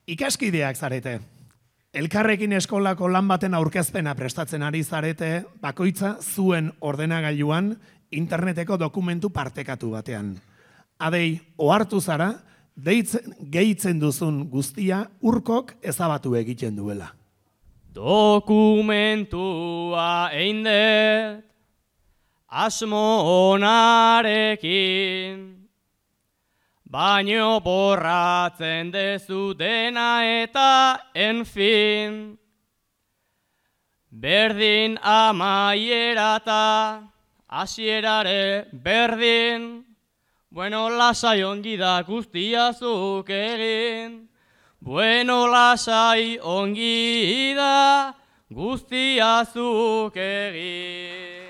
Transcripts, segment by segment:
Ikaskideak zarete. Elkarrekin eskolako lan baten aurkezpena prestatzen ari zarete, bakoitza zuen ordenagailuan interneteko dokumentu partekatu batean. Adei, ohartu zara, gehitzen duzun guztia urkok ezabatu egiten duela. Dokumentua eindet, asmo onarekin, baino borratzen dezu dena eta enfin. Berdin amaiera eta hasierare berdin, bueno lasai ongi da guztia zuk egin. Bueno lasai ongi da guztia zuk egin.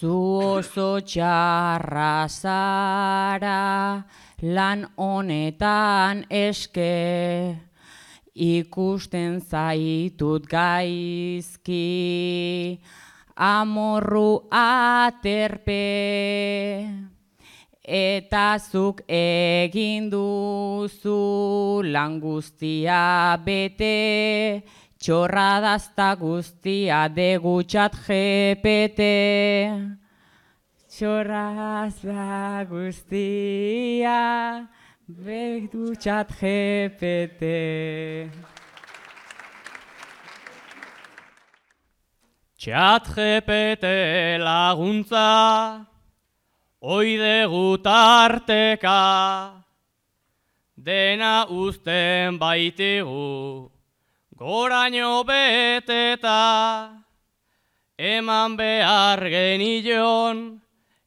Zu oso txarra zara lan honetan eske, ikusten zaitut gaizki, amorru aterpe, eta zuk egin duzu lan guztia bete, txorradazta guztia degutxat GPT. Txorradazta guztia degutxat GPT. Txat GPT laguntza, oidegu tarteka, dena uzten baitigu, goraino beteta, eman behar genion,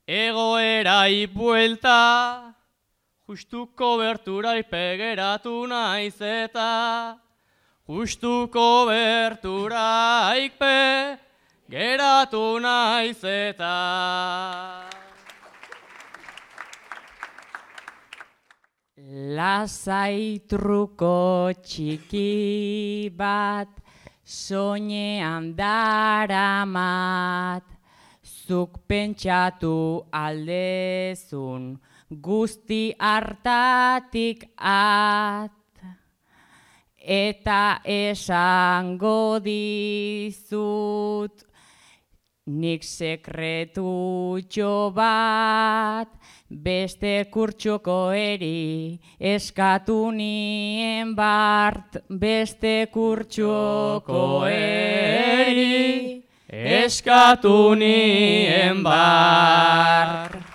egoerai buelta, justu koberturai pegeratu naiz eta, justu koberturaik pegeratu naiz eta. Lasai truko txiki bat, soinean daramat, zuk pentsatu aldezun guzti hartatik at, eta esango dizut nik sekretutxo bat, beste kurtsoko eri eskatu nien bart, beste kurtsoko eri eskatu nien bart.